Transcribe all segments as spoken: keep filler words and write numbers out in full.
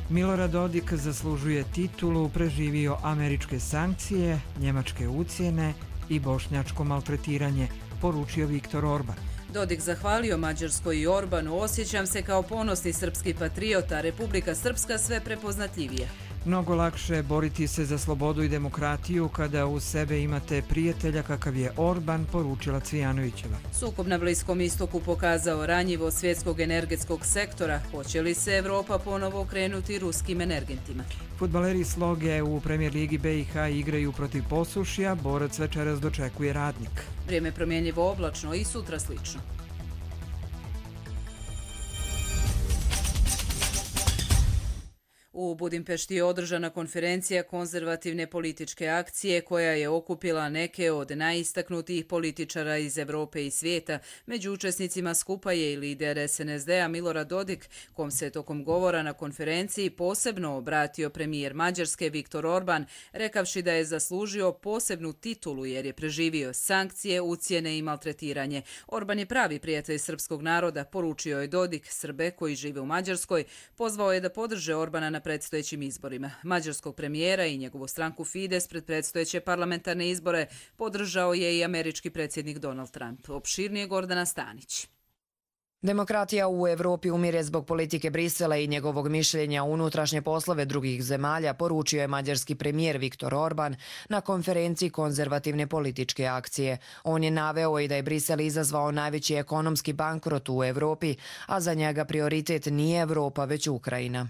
Milorad Dodik zaslužuje titulu, preživio američke sankcije, njemačke ucjene i bošnjačko maltretiranje, poručio Viktor Orban. Dodik zahvalio Mađarskoj i Orbanu: osjećam se kao ponosni srpski patriota, Republika Srpska sve prepoznatljivija. Mnogo lakše boriti se za slobodu i demokratiju kada uz sebe imate prijatelja kakav je Orban, poručila Cvijanovićeva. Sukob na Bliskom istoku pokazao ranjivo svjetskog energetskog sektora. Hoće li se Evropa ponovo okrenuti ruskim energentima? Fudbaleri Sloge u Premijer ligi B i H igraju protiv Posušja, borac večeras dočekuje Radnik. Vrijeme promjenjivo oblačno i sutra slično. U Budimpešti je održana konferencija konzervativne političke akcije koja je okupila neke od najistaknutijih političara iz Evrope i svijeta. Među učesnicima skupa je i lider S N S D-a Milorad Dodik, kom se tokom govora na konferenciji posebno obratio premijer Mađarske Viktor Orban, rekavši da je zaslužio posebnu titulu jer je preživio sankcije, ucjene i maltretiranje. Orban je pravi prijatelj srpskog naroda, poručio je Dodik. Srbe koji žive u Mađarskoj pozvao je da podrže Orbana na predstojećim izborima. Mađarskog premijera i njegovu stranku Fides pred predstojeće parlamentarne izbore podržao je i američki predsjednik Donald Trump. Opširnije Gordana Stanić. Demokratija u Evropi umire zbog politike Brisela i njegovog mišljenja u unutrašnje poslove drugih zemalja, poručio je mađarski premijer Viktor Orban na konferenciji konzervativne političke akcije. On je naveo i da je Brisel izazvao najveći ekonomski bankrot u Evropi, a za njega prioritet nije Evropa, već Ukrajina.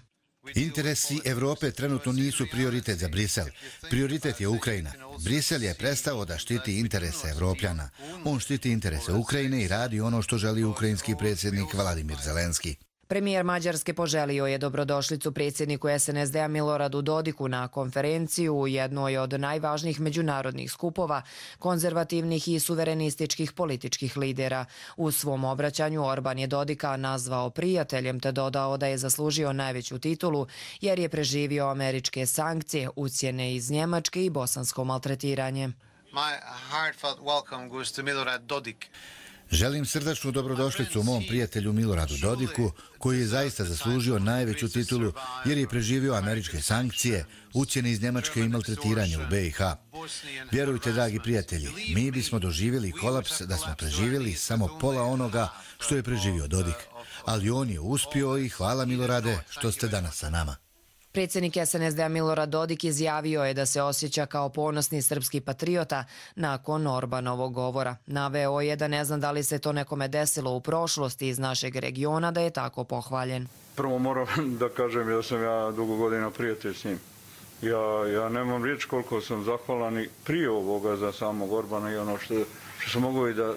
Interesi Evrope trenutno nisu prioritet za Brisel. Prioritet je Ukrajina. Brisel je prestao da štiti interese Evropljana. On štiti interese Ukrajine i radi ono što želi ukrajinski predsjednik Vladimir Zelenski. Premijer Mađarske poželio je dobrodošlicu predsjedniku S N S D-a Miloradu Dodiku na konferenciju u jednoj od najvažnijih međunarodnih skupova konzervativnih i suverenističkih političkih lidera. U svom obraćanju Orban je Dodika nazvao prijateljem te dodao da je zaslužio najveću titulu jer je preživio američke sankcije, ucjene iz Njemačke i bosansko maltretiranje. My heartfelt welcome goes to Milorad Dodik. Želim srdačnu dobrodošlicu mom prijatelju Miloradu Dodiku, koji je zaista zaslužio najveću titulu jer je preživio američke sankcije, ucjene iz Njemačke i maltretiranje u B i H. Vjerujte, dragi prijatelji, mi bismo doživjeli kolaps da smo preživjeli samo pola onoga što je preživio Dodik. Ali on je uspio i hvala Milorade što ste danas sa nama. Predsjednik S N S D-a Milorad Dodik izjavio je da se osjeća kao ponosni srpski patriota nakon Orbanovog govora. Naveo je da ne zna da li se to nekome desilo u prošlosti iz našeg regiona da je tako pohvaljen. Prvo moram da kažem da sam ja dugo godina prijatelj s njim. Ja, ja nemam riječ koliko sam zahvalan i prije ovoga za samog Orbana i ono što, što sam mogao i da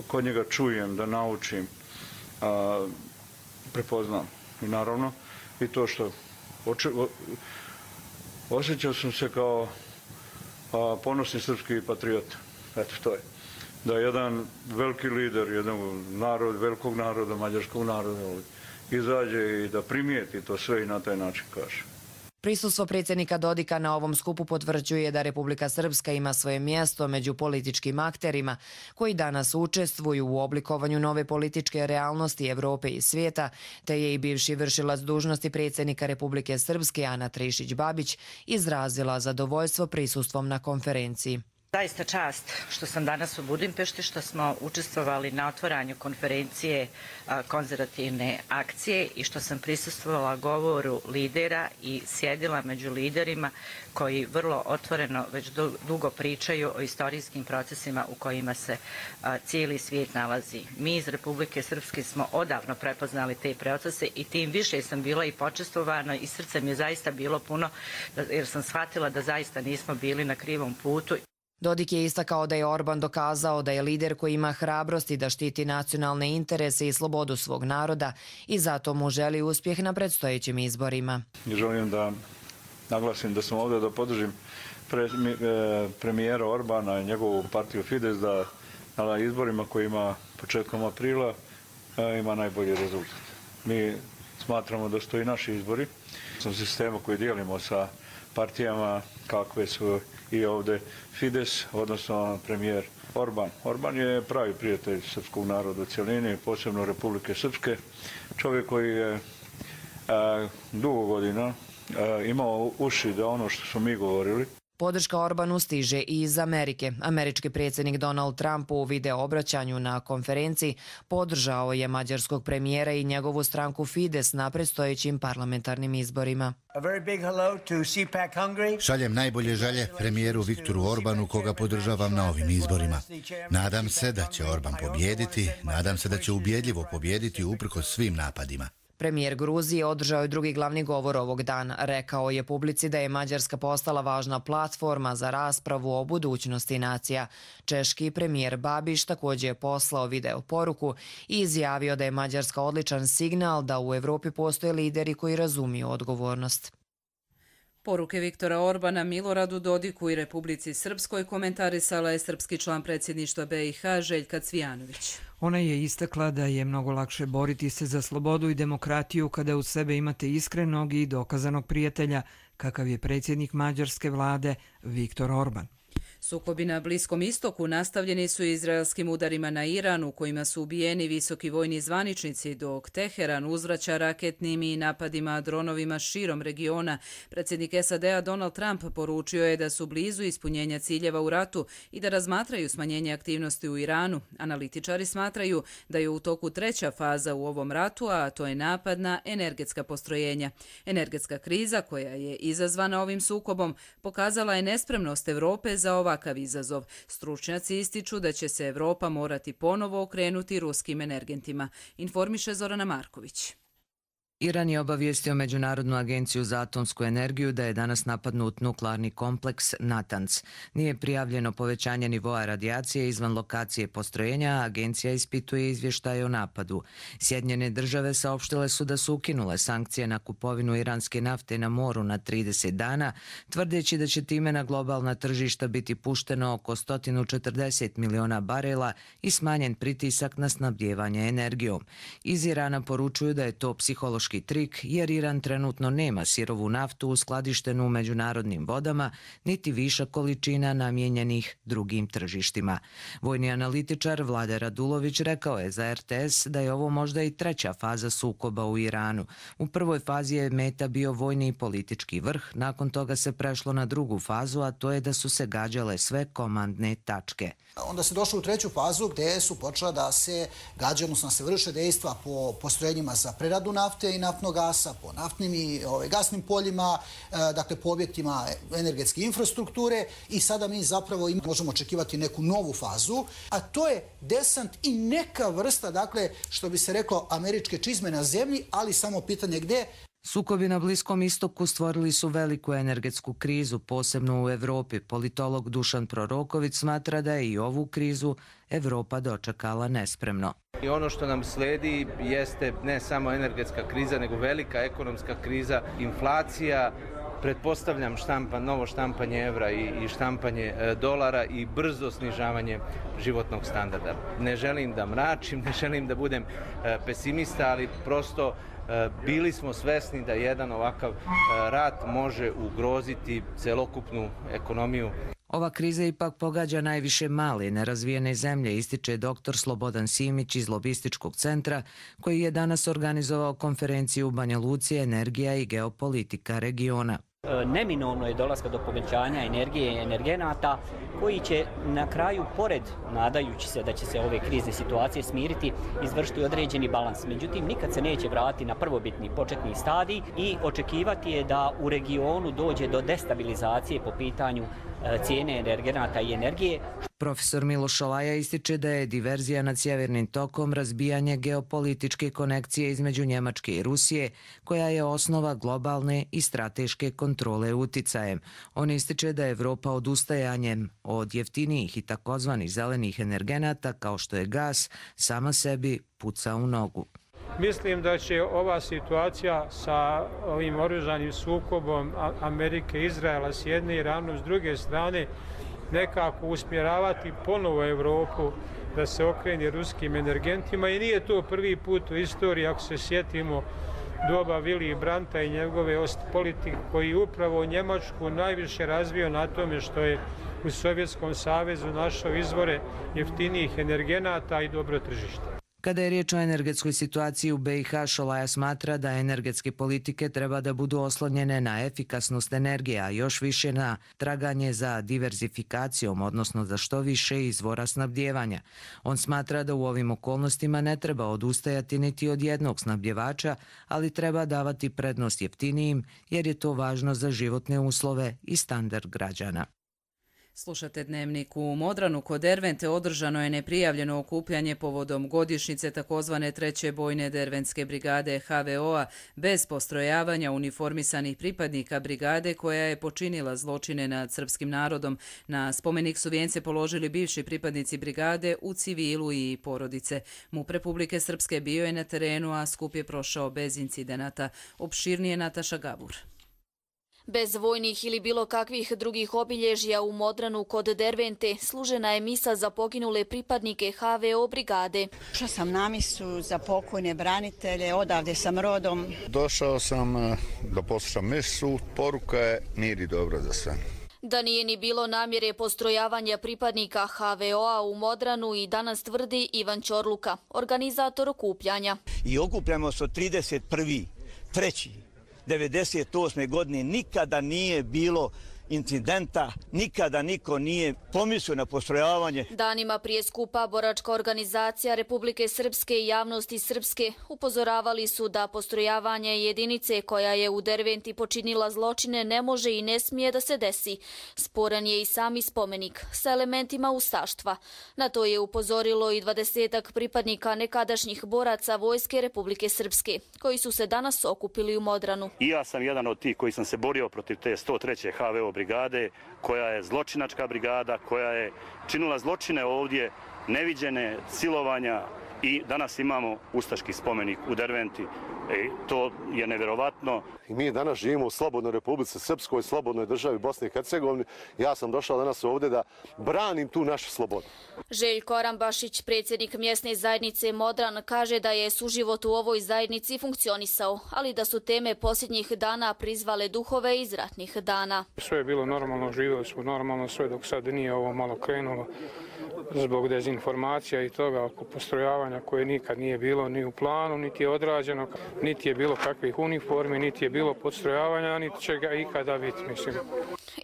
kod njega čujem, da naučim, a, prepoznam. I naravno i to što Oče, o, osjećao sam se kao a, ponosni srpski patriot. Eto, to je. Da jedan veliki lider, jedan narod, velikog naroda, mađarskog naroda, izađe i da primijeti to sve i na taj način kaže. Prisustvo predsjednika Dodika na ovom skupu potvrđuje da Republika Srpska ima svoje mjesto među političkim akterima koji danas učestvuju u oblikovanju nove političke realnosti Evrope i svijeta, te je i bivši vršilac dužnosti predsjednika Republike Srpske Ana Trišić-Babić izrazila zadovoljstvo prisustvom na konferenciji. Zaista čast što sam danas u Budimpešti, što smo učestvovali na otvaranju konferencije konzervativne akcije i što sam prisustvovala govoru lidera i sjedila među liderima koji vrlo otvoreno već dugo pričaju o istorijskim procesima u kojima se cijeli svijet nalazi. Mi iz Republike Srpske smo odavno prepoznali te procese i tim više sam bila i počestvovana i srce mi je zaista bilo puno jer sam shvatila da zaista nismo bili na krivom putu. Dodik je istakao da je Orban dokazao da je lider koji ima hrabrosti da štiti nacionalne interese i slobodu svog naroda i zato mu želi uspjeh na predstojećim izborima. Želim da naglasim da sam ovdje da podržim pre, e, premijera Orbana i njegovu partiju Fides da na izborima koji ima početkom aprila e, ima najbolji rezultat. Mi smatramo da su to i naši izbori. Sam sistema koji dijelimo sa partijama kakve su i ovdje Fides, odnosno premijer Orban. Orban je pravi prijatelj srpskog naroda u cjelini, posebno Republike Srpske. Čovjek koji je a, dugo godina imao uši da ono što smo mi govorili. Podrška Orbanu stiže i iz Amerike. Američki predsjednik Donald Trump u video obraćanju na konferenciji podržao je mađarskog premijera i njegovu stranku Fides na predstojećim parlamentarnim izborima. Šaljem najbolje želje premijeru Viktoru Orbanu, koga podržavam na ovim izborima. Nadam se da će Orban pobijediti, nadam se da će ubjedljivo pobijediti uprkos svim napadima. Premijer Gruzije održao je drugi glavni govor ovog dana. Rekao je publici da je Mađarska postala važna platforma za raspravu o budućnosti nacija. Češki premijer Babiš također je poslao video poruku i izjavio da je Mađarska odličan signal da u Evropi postoje lideri koji razumiju odgovornost. Poruke Viktora Orbana Miloradu Dodiku i Republici Srpskoj komentarisala je srpski član predsjedništva B i H Željka Cvijanović. Ona je istakla da je mnogo lakše boriti se za slobodu i demokratiju kada uz sebe imate iskrenog i dokazanog prijatelja, kakav je predsjednik mađarske vlade Viktor Orban. Sukobi na Bliskom istoku nastavljeni su izraelskim udarima na Iran, u kojima su ubijeni visoki vojni zvaničnici, dok Teheran uzvraća raketnim i napadima dronovima širom regiona. Predsjednik S A D-a Donald Trump poručio je da su blizu ispunjenja ciljeva u ratu i da razmatraju smanjenje aktivnosti u Iranu. Analitičari smatraju da je u toku treća faza u ovom ratu, a to je napad na energetska postrojenja. Energetska kriza, koja je izazvana ovim sukobom, pokazala je nespremnost Evrope za ovakav izazov. Stručnjaci ističu da će se Evropa morati ponovo okrenuti ruskim energentima, informiše Zorana Marković. Iran je obavijestio Međunarodnu agenciju za atomsku energiju da je danas napadnut nuklearni kompleks Natanz. Nije prijavljeno povećanje nivoa radijacije izvan lokacije postrojenja, a agencija ispituje izvještaje o napadu. Sjedinjene države saopštile su da su ukinule sankcije na kupovinu iranske nafte na moru na trideset dana, tvrdeći da će time na globalna tržišta biti pušteno oko sto četrdeset miliona barela i smanjen pritisak na snabdijevanje energijom. Iz Irana poručuju da je to psihološki trik, jer Iran trenutno nema sirovu naftu uskladištenu u međunarodnim vodama, niti viša količina namijenjenih drugim tržištima. Vojni analitičar Vlade Radulović rekao je za R T S da je ovo možda i treća faza sukoba u Iranu. U prvoj fazi je meta bio vojni i politički vrh, nakon toga se prešlo na drugu fazu, a to je da su se gađale sve komandne tačke. Onda se došlo u treću fazu gdje su počela da se gađa, odnosno se vrše dejstva po postrojenjima za preradu nafte i naftnog gasa, po naftnim i ove, gasnim poljima, e, dakle po objektima energetske infrastrukture i sada mi zapravo im, možemo očekivati neku novu fazu, a to je desant i neka vrsta, dakle, što bi se reklo, američke čizme na zemlji, ali samo pitanje gdje. Sukobi na Bliskom istoku stvorili su veliku energetsku krizu, posebno u Evropi. Politolog Dušan Proroković smatra da je i ovu krizu Evropa dočekala nespremno. I ono što nam sledi jeste ne samo energetska kriza, nego velika ekonomska kriza, inflacija, pretpostavljam štampa, novo štampanje evra i, i štampanje e, dolara i brzo snižavanje životnog standarda. Ne želim da mračim, ne želim da budem e, pesimista, ali prosto e, bili smo svesni da jedan ovakav e, rat može ugroziti celokupnu ekonomiju. Ova kriza ipak pogađa najviše male nerazvijene zemlje, ističe doktor Slobodan Simić iz Lobističkog centra, koji je danas organizovao konferenciju u Banja Luci energija i geopolitika regiona. Neminovno je dolaska do povećanja energije i energenata koji će na kraju, pored nadajući se da će se ove krizne situacije smiriti, izvršiti određeni balans. Međutim, nikad se neće vratiti na prvobitni početni stadij i očekivati je da u regionu dođe do destabilizacije po pitanju cijene energenata i energije. Profesor Miloš Olaja ističe da je diverzija nad Sjevernim tokom razbijanje geopolitičke konekcije između Njemačke i Rusije, koja je osnova globalne i strateške kontrole uticajem. On ističe da je Evropa odustajanjem od jeftinijih i takozvanih zelenih energenata, kao što je gas, sama sebi puca u nogu. Mislim da će ova situacija sa ovim oružanim sukobom Amerike i Izraela s jedne i Iranom s druge strane nekako usmjeravati ponovo Evropu da se okrene ruskim energentima i nije to prvi put u istoriji, ako se sjetimo doba Willy Brandta i njegove Ostpolitik, koji upravo Njemačku najviše razvio na tome što je u Sovjetskom savezu našao izvore jeftinijih energenata i dobro tržište. Kada je riječ o energetskoj situaciji u be i ha, Šolaja smatra da energetske politike treba da budu oslonjene na efikasnost energije, a još više na traganje za diverzifikacijom, odnosno za što više izvora snabdjevanja. On smatra da u ovim okolnostima ne treba odustajati niti od jednog snabdjevača, ali treba davati prednost jeftinijim jer je to važno za životne uslove i standard građana. Slušate Dnevnik. U Modranu kod Dervente održano je neprijavljeno okupljanje povodom godišnjice takozvane treće bojne Derventske brigade ha ve o-a bez postrojavanja uniformisanih pripadnika brigade koja je počinila zločine nad srpskim narodom. Na spomenik su vijence položili bivši pripadnici brigade u civilu i porodice. MUP Republike Srpske bio je na terenu, a skup je prošao bez incidenata. Opširnije Nataša Gabur. Bez vojnih ili bilo kakvih drugih obilježja u Modranu kod Dervente služena je misa za poginule pripadnike ha ve o brigade. Došla sam na misu za pokojne branitelje, odavde sam rodom. Došao sam da poslušam misu, poruka je mir i dobro za sve. Da nije ni bilo namjere postrojavanja pripadnika ha ve o-a u Modranu i danas tvrdi Ivan Ćorluka, organizator okupljanja. I okupljamo se od trideset prvog trećeg devedeset osme godine, nikada nije bilo incidenta, nikada niko nije pomislio na postrojavanje. Danima prije skupa boračka organizacija Republike Srpske i javnosti Srpske upozoravali su da postrojavanje jedinice koja je u Derventi počinila zločine ne može i ne smije da se desi. Sporan je i sami spomenik sa elementima ustaštva. Na to je upozorilo i dvadesetak pripadnika nekadašnjih boraca Vojske Republike Srpske, koji su se danas okupili u Modranu. I ja sam jedan od tih koji sam se borio protiv te sto treće ha ve o brigade, koja je zločinačka brigada, koja je činila zločine ovdje, neviđene silovanja, i danas imamo ustaški spomenik u Derventi. E, to je nevjerovatno. I mi danas živimo u slobodnoj Republici Srpskoj, slobodnoj državi Bosne i Hercegovine. Ja sam došao danas ovdje da branim tu našu slobodu. Željko Arambašić, predsjednik mjesne zajednice Modran, kaže da je suživot u ovoj zajednici funkcionisao, ali da su teme posljednjih dana prizvale duhove iz ratnih dana. Sve je bilo normalno, živjeli smo normalno, sve dok sad nije ovo malo krenulo zbog dezinformacija i toga oko postrojavanja koje nikad nije bilo ni u planu, niti je odrađeno, niti je bilo kakvih uniformi, niti je bilo postrojavanja, niti će ga ikada biti, mislim.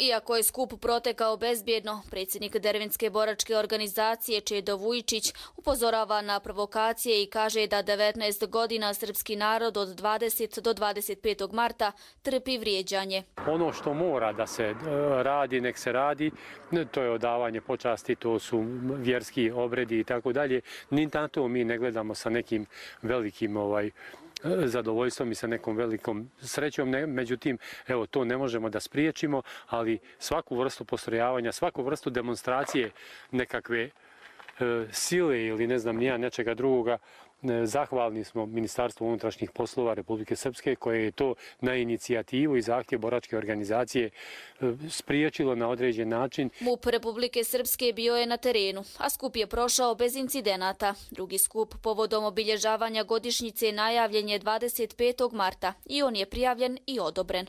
Iako je skup protekao bezbjedno, predsjednik Derventske boračke organizacije Čedo Vujičić upozorava na provokacije i kaže da devetnaest godina srpski narod od dvadesetog do dvadeset petog marta trpi vrijeđanje. Ono što mora da se radi, nek se radi, to je odavanje počasti, to su vjerski obredi i tako dalje. Ni na to mi ne gledamo sa nekim velikim ovaj zadovoljstvom i sa nekom velikom srećom. Međutim, evo, to ne možemo da spriječimo, ali svaku vrstu postrojavanja, svaku vrstu demonstracije nekakve e, sile ili ne znam nija nečega drugoga, zahvalni smo Ministarstvu unutrašnjih poslova Republike Srpske koje je to na inicijativu i zahtjev boračke organizacije spriječilo na određen način. MUP Republike Srpske bio je na terenu, a skup je prošao bez incidenata. Drugi skup povodom obilježavanja godišnjice najavljen je dvadeset petog marta i on je prijavljen i odobren.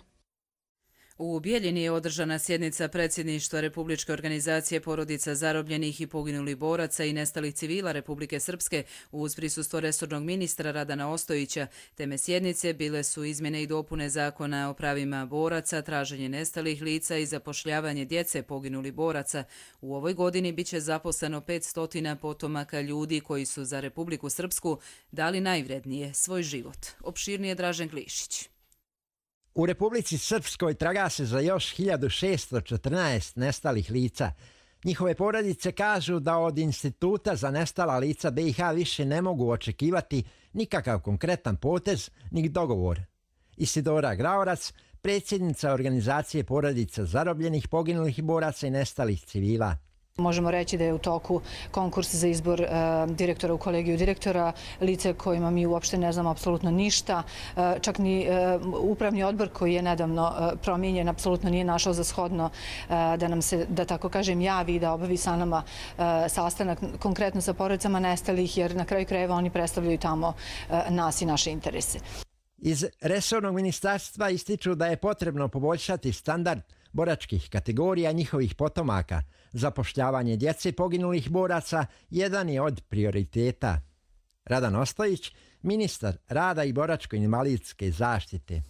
U Bijeljini je održana sjednica predsjedništva Republičke organizacije porodica zarobljenih i poginulih boraca i nestalih civila Republike Srpske uz prisustvo resornog ministra Radana Ostojića. Teme sjednice bile su izmjene i dopune zakona o pravima boraca, traženje nestalih lica i zapošljavanje djece poginulih boraca. U ovoj godini biće zaposleno petsto potomaka ljudi koji su za Republiku Srpsku dali najvrednije svoj život. Opširnije Dražen Klišić. U Republici Srpskoj traga se za još hiljadu šesto četrnaest nestalih lica. Njihove porodice kažu da od Instituta za nestala lica be i ha više ne mogu očekivati nikakav konkretan potez ni dogovor. Isidora Graorac, predsjednica organizacije porodica zarobljenih, poginulih boraca i nestalih civila. Možemo reći da je u toku konkurs za izbor e, direktora u kolegiju direktora, lice kojima mi uopšte ne znamo apsolutno ništa. E, čak ni e, upravni odbor koji je nedavno e, promijenjen apsolutno nije našao za shodno e, da nam se, da tako kažem, javi da obavi sa nama e, sastanak konkretno sa porodicama nestalih, jer na kraju krajeva oni predstavljaju tamo e, nas i naše interese. Iz resornog ministarstva ističu da je potrebno poboljšati standard boračkih kategorija njihovih potomaka. Zapošljavanje djece poginulih boraca jedan je od prioriteta. Radan Ostojić, ministar rada i boračko-invalidske zaštite.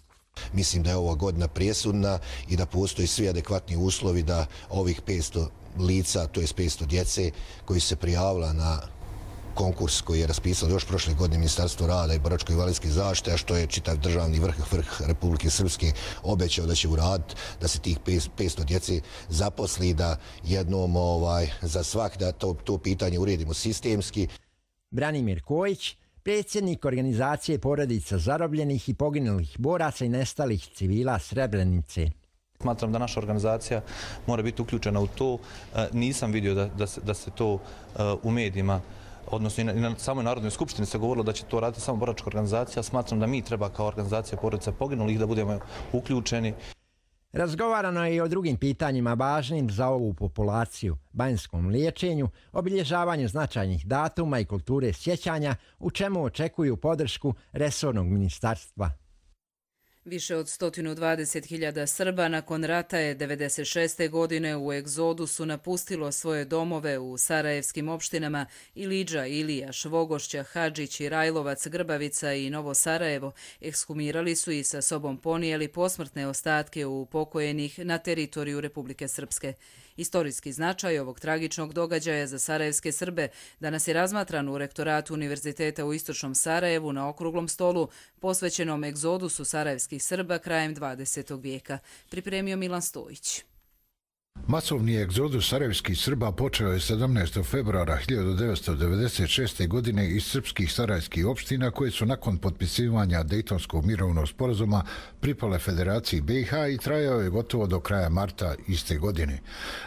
Mislim da je ova godina presudna i da postoji svi adekvatni uslovi da ovih petsto lica, to je petsto djece koji se prijavila na konkurs koji je raspisalo još prošle godine Ministarstvo rada i boračko-invalidske zaštite, a što je čitav državni vrh, vrh Republike Srpske obećao da će uraditi, da se tih petsto djece zaposli, da jednom ovaj, za svak da to, to pitanje uredimo sistemski. Branimir Kojić, predsjednik organizacije porodica zarobljenih i poginulih boraca i nestalih civila Srebrenice. Smatram da naša organizacija mora biti uključena u to. Nisam vidio da, da, se, da se to u medijima, odnosno i na, i na samoj Narodnoj skupštini se govorilo da će to raditi samo boračka organizacija. Smatram da mi treba kao organizacija porodica poginulih da budemo uključeni. Razgovarano je i o drugim pitanjima važnim za ovu populaciju, banjskom liječenju, obilježavanju značajnih datuma i kulture sjećanja, u čemu očekuju podršku resornog ministarstva. Više od sto dvadeset hiljada Srba nakon rata je devedeset šeste. godine u egzodusu napustilo svoje domove u sarajevskim opštinama Ilidža, Ilija, Švogošća, Hadžić, Rajlovac, Grbavica i Novo Sarajevo. Ekshumirali su i sa sobom ponijeli posmrtne ostatke upokojenih na teritoriju Republike Srpske. Istorijski značaj ovog tragičnog događaja za sarajevske Srbe danas je razmatran u rektoratu Univerziteta u Istočnom Sarajevu na okruglom stolu posvećenom egzodusu sarajevskih Srba krajem dvadesetog vijeka. Pripremio Milan Stojić. Masovni egzodus sarajevskih Srba počeo je sedamnaestog februara hiljadu devetsto devedeset šeste. godine iz srpskih sarajevskih opština koje su nakon potpisivanja Dejtonskog mirovnog sporazuma pripale Federaciji B i H i trajao je gotovo do kraja marta iste godine.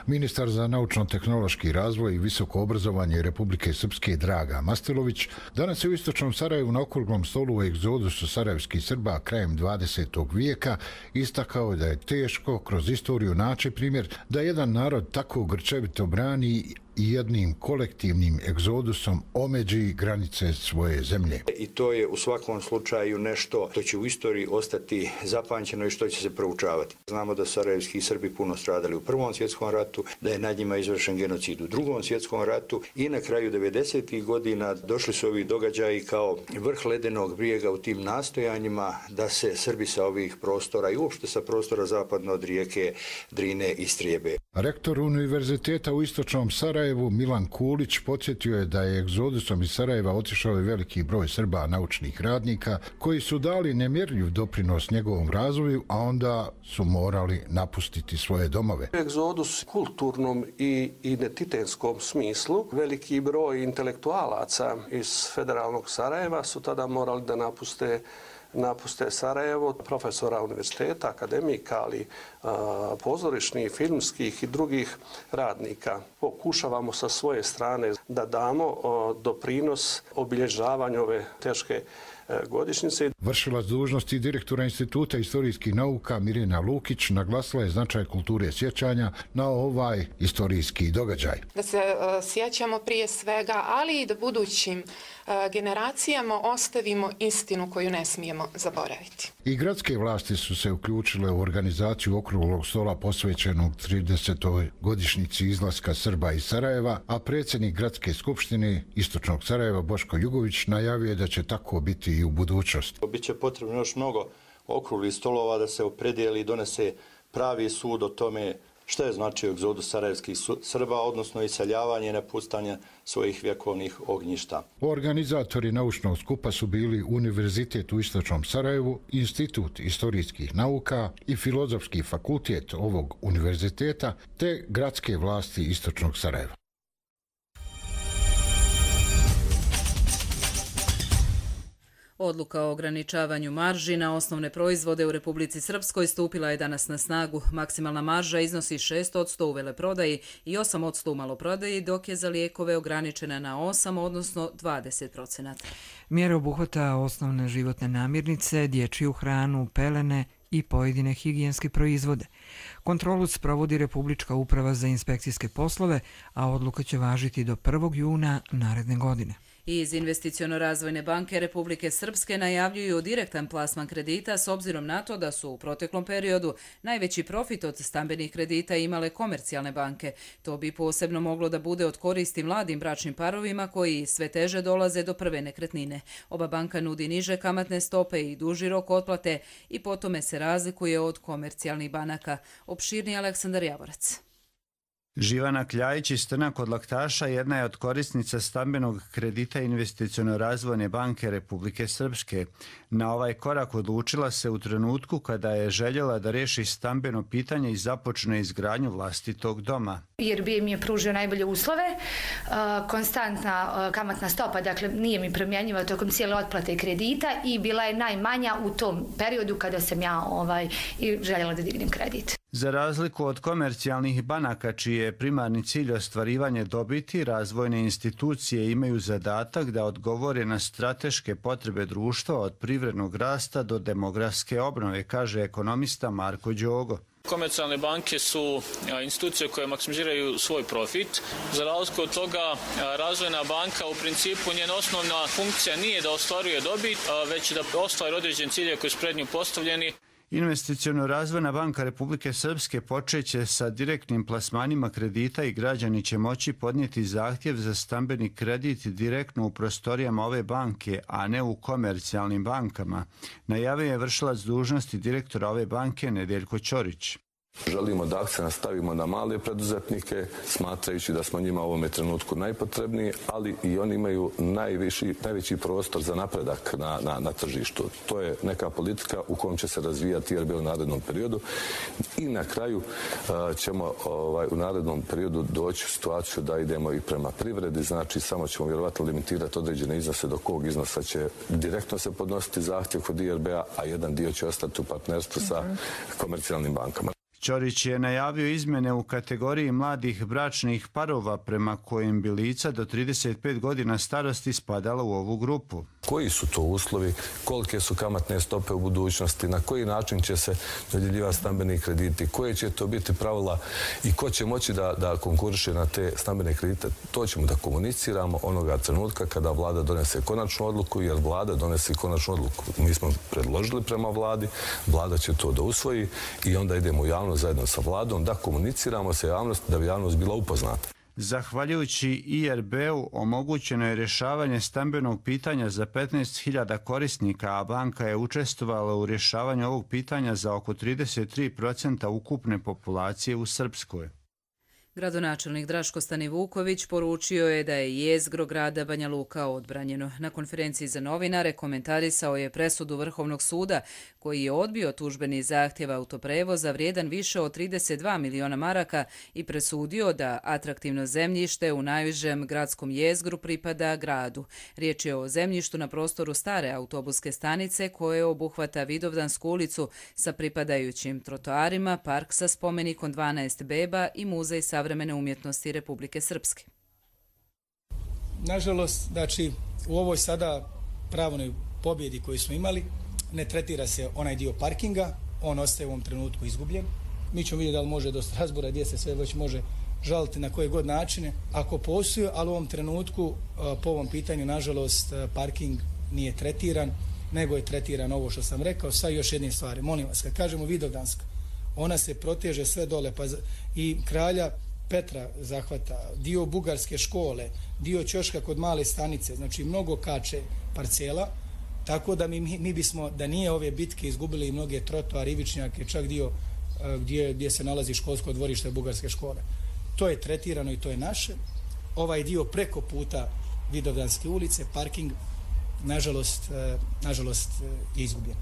Ministar za naučno-tehnološki razvoj i visoko obrazovanje Republike Srpske Draga Mastelović danas je u Istočnom Sarajevu na okruglom stolu u egzodusu sarajevskih Srba krajem dvadesetog vijeka istakao da je teško kroz istoriju naći primjer da jedan narod tako grčevito brani i jednim kolektivnim egzodusom omeđi granice svoje zemlje. I to je u svakom slučaju nešto što će u istoriji ostati zapamćeno i što će se proučavati. Znamo da sarajevski Srbi puno stradali u Prvom svjetskom ratu, da je nad njima izvršen genocid u Drugom svjetskom ratu i na kraju devedesetih godina došli su ovi događaji kao vrh ledenog brijega u tim nastojanjima da se Srbi sa ovih prostora i uopšte sa prostora zapadno od rijeke Drine istrijebe. Rektor Univerziteta u Istočnom Sarajevu Milan Kulić podsjetio je da je egzodusom iz Sarajeva otišao i veliki broj Srba naučnih radnika koji su dali nemjerljiv doprinos njegovom razvoju, a onda su morali napustiti svoje domove. Egzodus u kulturnom i identitetskom smislu, veliki broj intelektualaca iz federalnog Sarajeva su tada morali da napuste napuste Sarajevo, profesora univerziteta, akademika, ali a, pozorišnih, filmskih i drugih radnika. Pokušavamo sa svoje strane da damo a, doprinos obilježavanju ove teške godišnjice. Vršilac dužnosti direktora Instituta istorijskih nauka Mirjana Lukić naglasila je značaj kulture sjećanja na ovaj istorijski događaj. Da se uh, sjećamo prije svega, ali i da budućim uh, generacijama ostavimo istinu koju ne smijemo zaboraviti. I gradske vlasti su se uključile u organizaciju okruglog stola posvećenog tridesetoj godišnjici izlaska Srba iz Sarajeva, a predsjednik Gradske skupštine Istočnog Sarajeva Boško Jugović najavio je da će tako biti i u budućnosti. Biće potrebno još mnogo okruglih stolova da se opredijeli i donese pravi sud o tome šta je značio egzodus sarajevskih Srba, odnosno iseljavanje i napuštanje svojih vjekovnih ognjišta. Organizatori naučnog skupa su bili Univerzitet u Istočnom Sarajevu, Institut istorijskih nauka i Filozofski fakultet ovog univerziteta, te gradske vlasti Istočnog Sarajeva. Odluka o ograničavanju marži na osnovne proizvode u Republici Srpskoj stupila je danas na snagu. Maksimalna marža iznosi šest posto u veleprodaji i osam posto u maloprodaji, dok je za lijekove ograničena na osam, odnosno dvadeset posto. Mjera obuhvata osnovne životne namirnice, dječju hranu, pelene i pojedine higijenske proizvode. Kontrolu sprovodi Republička uprava za inspekcijske poslove, a odluka će važiti do prvog juna naredne godine. Iz Investiciono-razvojne banke Republike Srpske najavljuju direktan plasman kredita s obzirom na to da su u proteklom periodu najveći profit od stambenih kredita imale komercijalne banke. To bi posebno moglo da bude od koristi mladim bračnim parovima koji sve teže dolaze do prve nekretnine. Oba banka nudi niže kamatne stope i duži rok otplate i po tome se razlikuje od komercijalnih banaka. Opširni Aleksandar Javorac. Živana Kljajić iz Trna kod Laktaša jedna je od korisnica stambenog kredita Investiciono-razvojne banke Republike Srpske. Na ovaj korak odlučila se u trenutku kada je željela da reši stambeno pitanje i započne izgradnju vlastitog doma. I R B mi je pružio najbolje uslove, konstantna kamatna stopa, dakle nije mi promjenjiva tokom cijele otplate kredita i bila je najmanja u tom periodu kada sam ja ovaj, željela da dignem kredit. Za razliku od komercijalnih banaka, čiji je primarni cilj ostvarivanje dobiti, razvojne institucije imaju zadatak da odgovore na strateške potrebe društva od privrednog rasta do demografske obnove, kaže ekonomista Marko Đogo. Komercijalne banke su institucije koje maksimiziraju svoj profit. Za razliku od toga, razvojna banka u principu njena osnovna funkcija nije da ostvaruje dobit, već da ostvari određen cilje koji su pred nju postavljeni. Investiciono-razvojna banka Republike Srpske počeće sa direktnim plasmanima kredita i građani će moći podnijeti zahtjev za stambeni kredit direktno u prostorijama ove banke, a ne u komercijalnim bankama. Najavio je vršilac dužnosti direktora ove banke Nedeljko Ćorić. Želimo da akcent stavimo na male preduzetnike, smatrajući da smo njima u ovome trenutku najpotrebniji, ali i oni imaju najviši, najveći prostor za napredak na, na, na tržištu. To je neka politika u kojom će se razvijati I R B u narednom periodu i na kraju uh, ćemo ovaj, u narednom periodu doći u situaciju da idemo i prema privredi, znači samo ćemo vjerovatno limitirati određene iznose do kog iznosa će direktno se podnositi zahtjev kod I R B-a, a jedan dio će ostati u partnerstvu sa komercijalnim bankama. Ćorić je najavio izmjene u kategoriji mladih bračnih parova prema kojim bi lica do trideset pet godina starosti spadala u ovu grupu. Koji su to uslovi, kolike su kamatne stope u budućnosti, na koji način će se dodjeljivati stambeni krediti, koje će to biti pravila i ko će moći da, da konkuriše na te stambene kredite, to ćemo da komuniciramo onoga trenutka kada vlada donese konačnu odluku, jer vlada donese konačnu odluku. Mi smo predložili prema vladi, vlada će to da usvoji i onda idemo u javnost zajedno sa vladom da komuniciramo sa javnosti da bi javnost bila upoznata. Zahvaljujući I R B-u omogućeno je rješavanje stambenog pitanja za petnaest hiljada korisnika, a banka je učestvovala u rješavanju ovog pitanja za oko trideset tri posto ukupne populacije u Srpskoj. Gradonačelnik Draško Stanivuković poručio je da je jezgro grada Banja Luka odbranjeno. Na konferenciji za novinare komentarisao je presudu Vrhovnog suda koji je odbio tužbeni zahtjev autoprevoza vrijedan više od trideset dva miliona maraka i presudio da atraktivno zemljište u najužem gradskom jezgru pripada gradu. Riječ je o zemljištu na prostoru stare autobuske stanice koje obuhvata Vidovdansku ulicu sa pripadajućim trotoarima, park sa spomenikom dvanaest beba i muzej savremene umjetnosti Republike Srpske. Nažalost, znači, u ovoj sada pravnoj pobjedi koju smo imali ne tretira se onaj dio parkinga, on ostaje u ovom trenutku izgubljen. Mi ćemo vidjeti da li može do Strasbura gdje se sve već može žaliti na koje god načine, ako postoji, ali u ovom trenutku po ovom pitanju, nažalost, parking nije tretiran, nego je tretiran ovo što sam rekao, sa još jednim stvari. Molim vas, kad kažemo Vidovdanska, ona se proteže sve dole, pa i Kralja Petra zahvata, dio Bugarske škole, dio Ćoška kod Male stanice, znači mnogo kače parcela, tako da mi, mi bismo, da nije ove bitke, izgubili i mnoge trotoare, ivičnjake, čak dio gdje, gdje se nalazi školsko dvorište Bugarske škole. To je tretirano i to je naše. Ovaj dio preko puta Vidovdanske ulice, parking, nažalost, nažalost je izgubljen.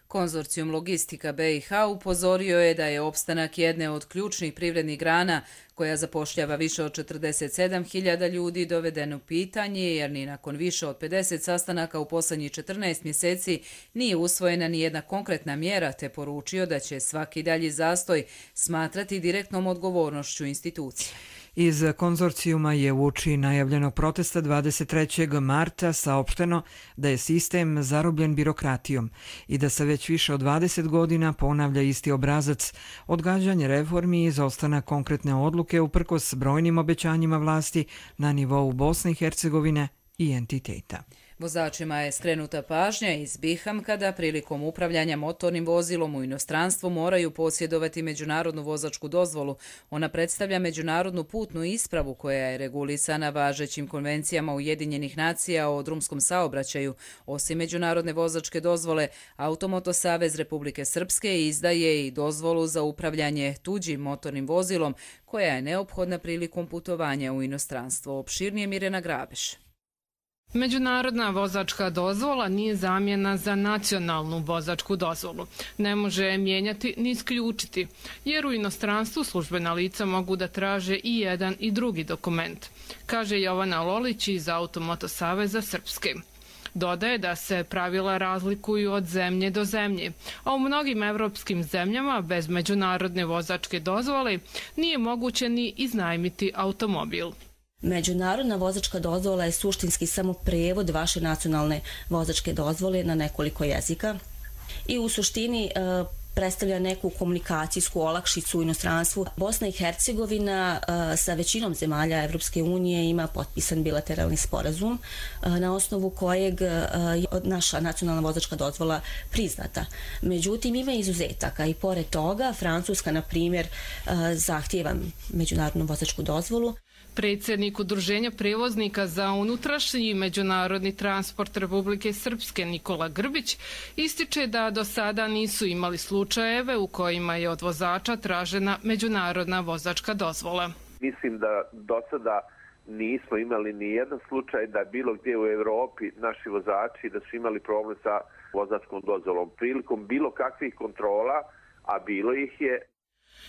Konzorcijum Logistika B i H upozorio je da je opstanak jedne od ključnih privrednih grana koja zapošljava više od četrdeset sedam hiljada ljudi doveden u pitanje jer ni nakon više od pedeset sastanaka u posljednjih četrnaest mjeseci nije usvojena ni jedna konkretna mjera te poručio da će svaki dalji zastoj smatrati direktnom odgovornošću institucije. Iz konzorcijuma je uoči najavljenog protesta dvadeset trećeg marta saopšteno da je sistem zarobljen birokratijom i da se već više od dvadeset godina ponavlja isti obrazac, odgađanje reformi i izostanak konkretne odluke uprkos brojnim obećanjima vlasti na nivou Bosne i Hercegovine i entiteta. Vozačima je skrenuta pažnja iz Bihamka da prilikom upravljanja motornim vozilom u inostranstvu moraju posjedovati međunarodnu vozačku dozvolu. Ona predstavlja međunarodnu putnu ispravu koja je regulisana važećim konvencijama Ujedinjenih nacija o drumskom saobraćaju. Osim međunarodne vozačke dozvole, Automoto Savez Republike Srpske izdaje i dozvolu za upravljanje tuđim motornim vozilom koja je neophodna prilikom putovanja u inostranstvo. Opširnije Mirjana Grabeš. Međunarodna vozačka dozvola nije zamjena za nacionalnu vozačku dozvolu. Ne može je mijenjati ni isključiti, jer u inostranstvu službena lica mogu da traže i jedan i drugi dokument, kaže Jovana Lolić iz Automoto Saveza Srpske. Dodaje da se pravila razlikuju od zemlje do zemlje, a u mnogim evropskim zemljama bez međunarodne vozačke dozvole nije moguće ni iznajmiti automobil. Međunarodna vozačka dozvola je suštinski samo prevod vaše nacionalne vozačke dozvole na nekoliko jezika i u suštini e, predstavlja neku komunikacijsku olakšicu u inostranstvu. Bosna i Hercegovina e, sa većinom zemalja Evropske unije ima potpisan bilateralni sporazum e, na osnovu kojeg e, je naša nacionalna vozačka dozvola priznata. Međutim, ima izuzetaka i pored toga Francuska, na primjer, e, zahtijeva međunarodnu vozačku dozvolu. Predsjednik Udruženja prevoznika za unutrašnji i međunarodni transport Republike Srpske Nikola Grbić ističe da do sada nisu imali slučajeve u kojima je od vozača tražena međunarodna vozačka dozvola. Mislim da do sada nismo imali ni jedan slučaj da bilo gdje u Evropi naši vozači da su imali problem sa vozačkom dozvolom. Prilikom bilo kakvih kontrola, a bilo ih je.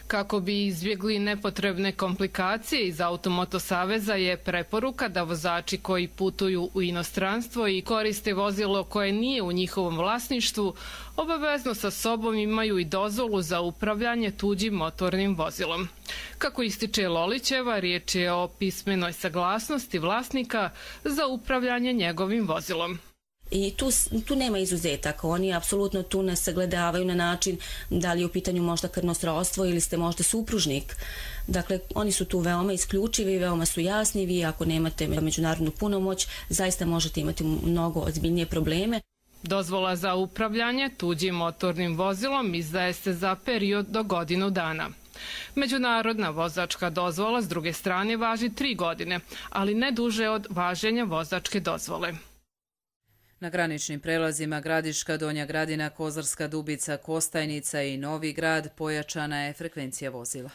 Kako bi izbjegli nepotrebne komplikacije, iz Automoto Saveza je preporuka da vozači koji putuju u inostranstvo i koriste vozilo koje nije u njihovom vlasništvu obavezno sa sobom imaju i dozvolu za upravljanje tuđim motornim vozilom. Kako ističe Lolićeva, riječ je o pismenoj saglasnosti vlasnika za upravljanje njegovim vozilom. I tu, tu nema izuzetaka, oni apsolutno tu ne sagledavaju na način da li je u pitanju možda krvno srodstvo ili ste možda supružnik. Dakle, oni su tu veoma isključivi, veoma su jasni, vi ako nemate međunarodnu punomoć, zaista možete imati mnogo ozbiljnije probleme. Dozvola za upravljanje tuđim motornim vozilom izdaje se za period do godinu dana. Međunarodna vozačka dozvola s druge strane važi tri godine, ali ne duže od važenja vozačke dozvole. Na graničnim prelazima Gradiška, Donja Gradina, Kozarska Dubica, Kostajnica i Novi Grad pojačana je frekvencija vozila.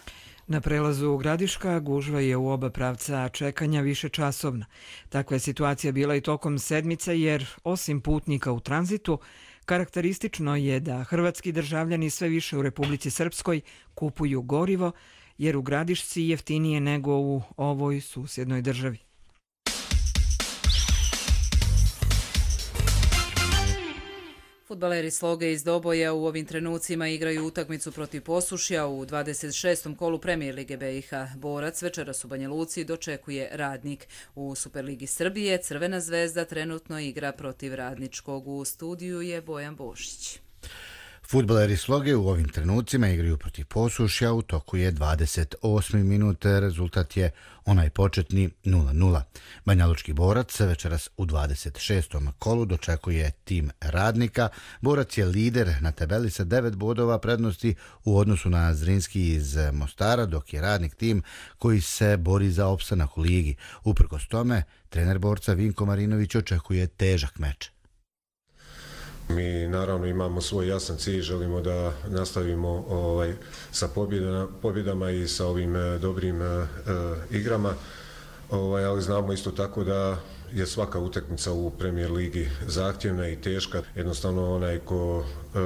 Na prelazu Gradiška gužva je u oba pravca čekanja više časovna. Takva je situacija bila i tokom sedmice jer, osim putnika u tranzitu, karakteristično je da hrvatski državljani sve više u Republici Srpskoj kupuju gorivo, jer u Gradišci jeftinije nego u ovoj susjednoj državi. Fudbaleri Sloge iz Doboja u ovim trenucima igraju utakmicu protiv Posušja u dvadeset šestom kolu Premijer Lige B i H. Borac večeras u Banja Luci dočekuje Radnik. U Superligi Srbije Crvena zvezda trenutno igra protiv Radničkog. U studiju je Bojan Bošić. Fudbaleri Sloge u ovim trenucima igraju protiv Posušja, u toku je dvadeset osmi minut, rezultat je onaj početni nula nula. Banjalučki Borac večeras u dvadeset šestom kolu dočekuje tim Radnika. Borac je lider na tabeli sa devet bodova prednosti u odnosu na Zrinski iz Mostara, dok je Radnik tim koji se bori za opstanak u ligi. Uprkos tome, trener Borca Vinko Marinović očekuje težak meč. Mi naravno imamo svoj jasan cilj, želimo da nastavimo ovaj, sa pobjedama, pobjedama i sa ovim e, dobrim e, igrama, ovaj, ali znamo isto tako da je svaka utakmica u Premier ligi zahtjevna i teška. Jednostavno onaj ko e,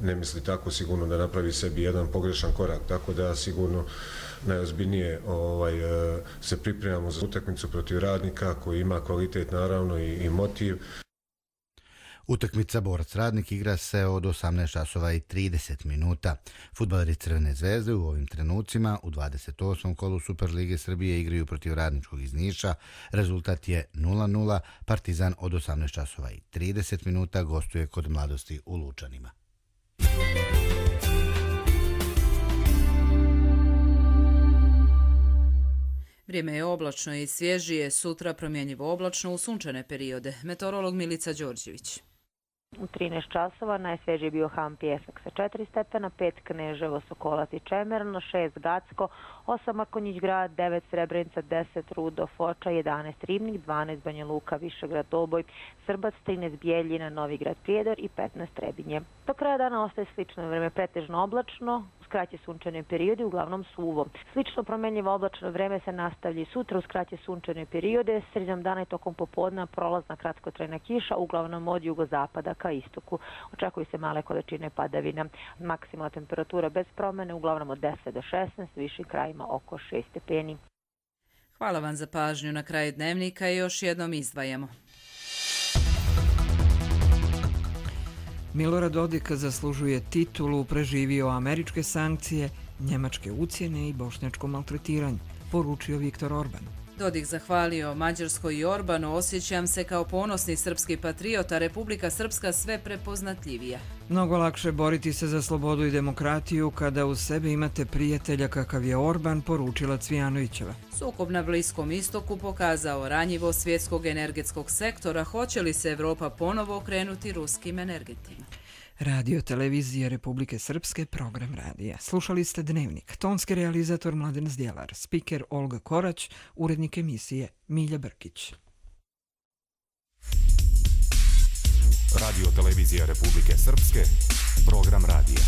ne misli tako sigurno da napravi sebi jedan pogrešan korak, tako da sigurno najozbiljnije ovaj, e, se pripremamo za utakmicu protiv Radnika koji ima kvalitet naravno i, i motiv. Utakmica Borac-Radnik igra se od osamnaest časova i trideset minuta. Fudbaleri Crvene zvezde u ovim trenucima u dvadeset osmom kolu Superlige Srbije igraju protiv Radničkog iz Niša. Rezultat je nula nula. Partizan od osamnaest časova i trideset minuta gostuje kod Mladosti u Lučanima. Vrijeme je oblačno i svježije, sutra promjenjivo oblačno u sunčane periode. Meteorolog Milica Đorđević. U trinaest časova najsvježiji bio Han Pjesak sa četiri stepena, pet Kneževo, Sokolac i Čemerno, šest Gacko, osam Akonjić grad, devet Srebrenica, deset Rudo, Foča, jedanaest Ribnik, dvanaest Banja Luka, Višegrad, Doboj, Srbac, trinaest Bijeljina, Novigrad, Prijedor i petnaest Trebinje. Do kraja dana ostaje slično vreme, pretežno oblačno, uz kraće sunčane periode, uglavnom suvo. Slično promjenjivo oblačno vreme se nastavlja i sutra uz kraće sunčane periode, sredinom dana i tokom popodna prolazna kratkotrajna kiša, uglavnom od jugozapada ka istoku. Očekuju se male količine padavina. Maksimalna temperatura bez promjene, uglavnom od deset do šesnaest, višim krajima oko šest stepeni. Hvala vam za pažnju. Na kraju dnevnika i još jednom izdvajamo. Milorad Dodik zaslužuje titulu, preživio američke sankcije, njemačke ucjene i bošnjačko maltretiranje, poručio Viktor Orban. Dodik zahvalio Mađarskoj i Orbanu, osjećam se kao ponosni srpski patriot, a Republika Srpska sve prepoznatljivija. Mnogo lakše boriti se za slobodu i demokratiju kada uz sebe imate prijatelja kakav je Orban, poručila Cvijanovićeva. Sukob na Bliskom istoku pokazao ranjivo svjetskog energetskog sektora, hoće li se Evropa ponovo okrenuti ruskim energetima. Radio Televizije Republike Srpske, program radija. Slušali ste Dnevnik. Tonski realizator Mladen Zdjelar, spiker Olga Korać, urednik emisije Milja Brkić. Radio Televizija Republike Srpske, program radija.